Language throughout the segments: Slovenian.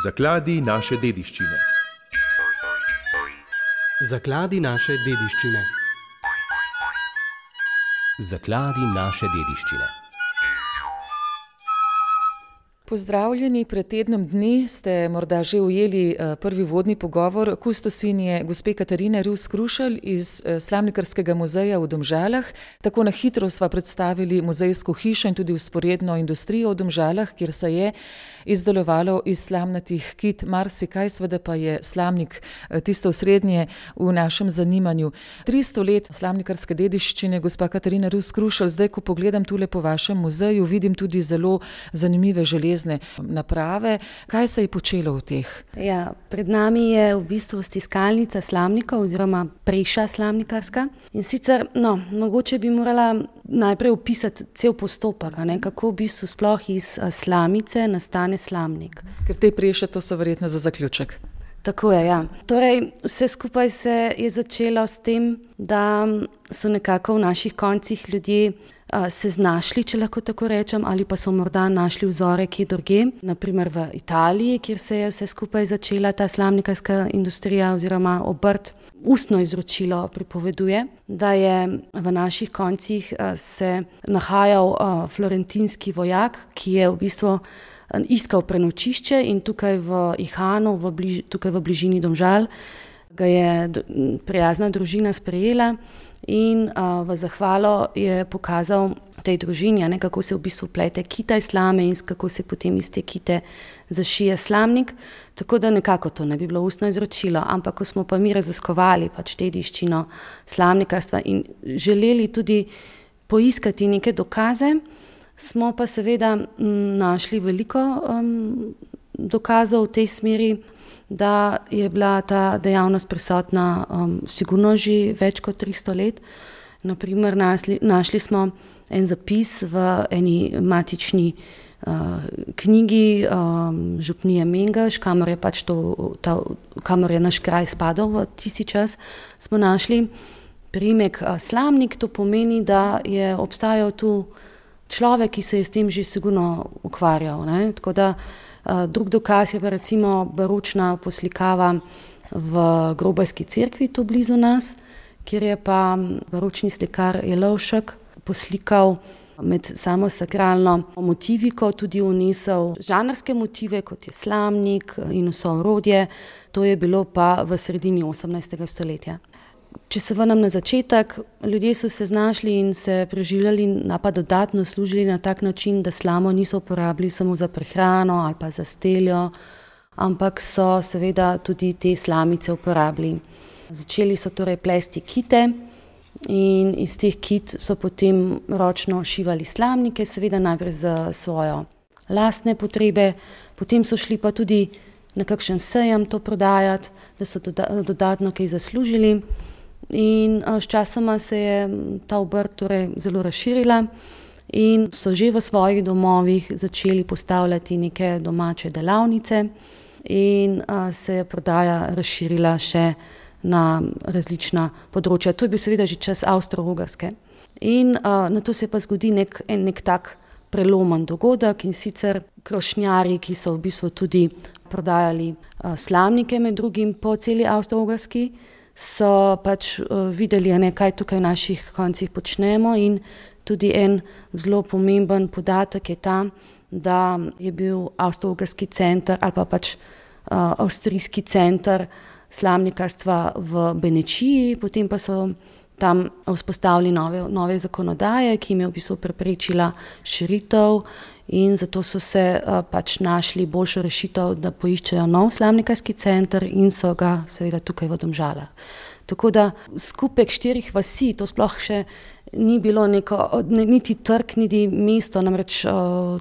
Zakladi naše dediščine. Zakladi naše dediščine. Zakladi naše dediščine. Pozdravljeni, pred tednom dni ste morda že ujeli prvi vodni pogovor kustosinje gospe Katarine Rus Krušelj iz Slamnikarskega muzeja v Domžalah. Tako na hitro sva predstavili muzejsko hišo in tudi vzporedno industrijo v Domžalah, kjer se je izdelovalo iz slamnatih kit marsikaj, seveda pa je slamnik tisto osrednje v našem zanimanju. 300 let slamnikarske dediščine, gospa Katarina Rus Krušelj. Zdaj, ko pogledam tule po vašem muzeju, vidim tudi zelo zanimive železne naprave. Kaj se je počelo v teh? Ja, pred nami je v bistvu stiskalnica slamnikov oziroma preša slamnikarska. In sicer, mogoče bi morala najprej opisati cel postopek, kako v bistvu sploh iz slamice nastane slamnik. Ker te preše, to so verjetno za zaključek. Tako je, ja. Torej, vse skupaj se je začelo s tem, da so nekako v naših koncih ljudje se znašli, če lahko tako rečem, ali pa so morda našli vzore kje drugje, naprimer v Italiji, kjer se je vse skupaj začela ta slamnikarska industrija oziroma obrt. Ustno izročilo pripoveduje, da je v naših koncih se nahajal florentinski vojak, ki je v bistvu iskal prenočišče in tukaj v Ihanu, tukaj v bližini Domžal, ga je prijazna družina sprejela in v zahvalo je pokazal tej družini, kako se v bistvu plete kita iz slame in kako se potem iz te kite zašije slamnik. Tako da nekako to ne bi bilo ustno izročilo, ampak ko smo pa mi raziskovali dediščino slamnikarstva in želeli tudi poiskati neke dokaze, smo pa seveda našli veliko dokazov v tej smeri, da je bila ta dejavnost prisotna sigurno že več kot 300 let. Naprimer, našli smo en zapis v eni matični knjigi župnije Mengeš, kamor je naš kraj spadal v tisti čas, smo našli priimek slamnik. To pomeni, da je obstajal tu človek, ki se je s tem že sigurno ukvarjal. Tako da drug dokaz je pa recimo baročna poslikava v Grobajski cerkvi tu blizu nas, kjer je pa baročni slikar Jelovšek poslikal med samo sakralno motiviko tudi vnesel žanrske motive, kot je slamnik in vso orodje. To je bilo pa v sredini 18. stoletja. Če se vrnem na začetek, ljudje so se znašli in se preživljali, pa dodatno služili na tak način, da slamo niso uporabili samo za prehrano ali pa za steljo, ampak so seveda tudi te slamice uporabili. Začeli so torej plesti kite in iz teh kit so potem ročno šivali slamnike, seveda najprej za svojo lastne potrebe, potem so šli pa tudi na kakšen sejem to prodajati, da so dodatno kaj zaslužili. In sčasoma se je ta obrt zelo razširila in so že v svojih domovih začeli postavljati neke domače delavnice in se je prodaja razširila še na različna področja. To je bil seveda že čas Avstro-Ogrske. In nato se pa zgodi nek tak prelomen dogodek, in sicer krošnjarji, ki so v bistvu tudi prodajali slamnike med drugim po celi Avstro-Ogrski, so videli, kaj tukaj v naših koncih počnemo, in tudi en zelo pomemben podatek je ta, da je bil Avstro-Ogrski center ali pa avstrijski center slamnikarstva v Benečiji, potem pa so tam vzpostavili nove zakonodaje, ki jim je v bistvu preprečila širitev, in zato so se našli boljšo rešitev, da poiščejo nov slamnikarski center in so ga seveda tukaj v Domžalah. Tako da skupek 4 vasi, to sploh še ni bilo niti trg, niti mesto, namreč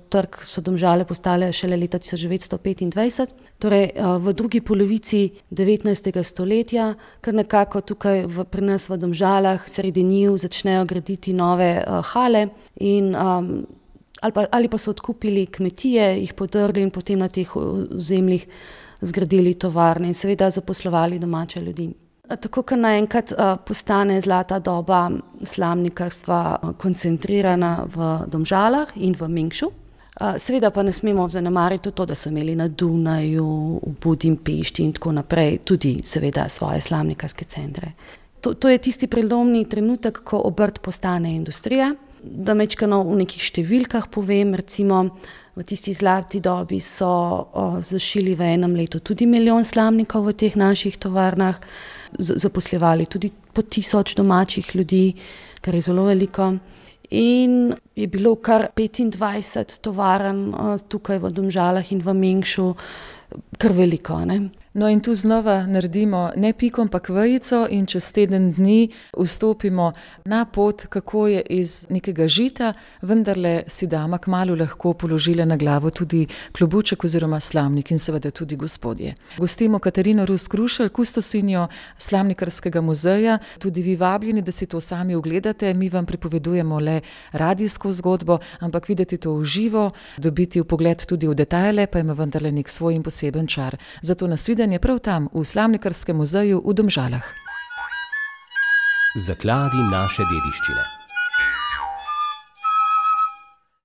trg so Domžale postale šele leta 1925, torej v drugi polovici 19. stoletja, kar nekako tukaj pri nas v Domžalah sredi njiv začnejo graditi nove hale in ali pa so odkupili kmetije, jih podrli in potem na teh ozemljih zgradili tovarne in seveda zaposlovali domače ljudi. Tako, ker naenkrat postane zlata doba slamnikarstva koncentrirana v Domžalah in v Mengšu, Seveda pa ne smemo zanemariti to, da so imeli na Dunaju, v Budimpešti in tako naprej tudi seveda svoje slamnikarske centre. To je tisti prelomni trenutek, ko obrt postane industrija. Da mečkano v nekih številkah povem, recimo v tisti zlati dobi so zašili v enem letu tudi 1 milijon slamnikov v teh naših tovarnah, zaposlevali tudi po 1000 domačih ljudi, kar je zelo veliko. In je bilo kar 25 tovarn tukaj v Domžalah in v Mengšu, kar veliko, ne? No in tu znova naredimo ne pikom, pa vejico in čez teden dni vstopimo na pot, kako je iz nekega žita, vendarle si dama kmalu lahko položila na glavo tudi klobuček oziroma slamnik in seveda tudi gospodje. Gostimo Katarino Rus Krušelj, kustosinjo Slamnikarskega muzeja, tudi vi vabljeni, da si to sami ogledate, mi vam pripovedujemo le radijsko zgodbo, ampak videti to v živo, dobiti vpogled tudi v detajle, pa ima vendarle nek svoj in poseben čar. Zato nasvidenje prav tam, v Slamnikarskem muzeju v Domžalah. Zakladi naše dediščine.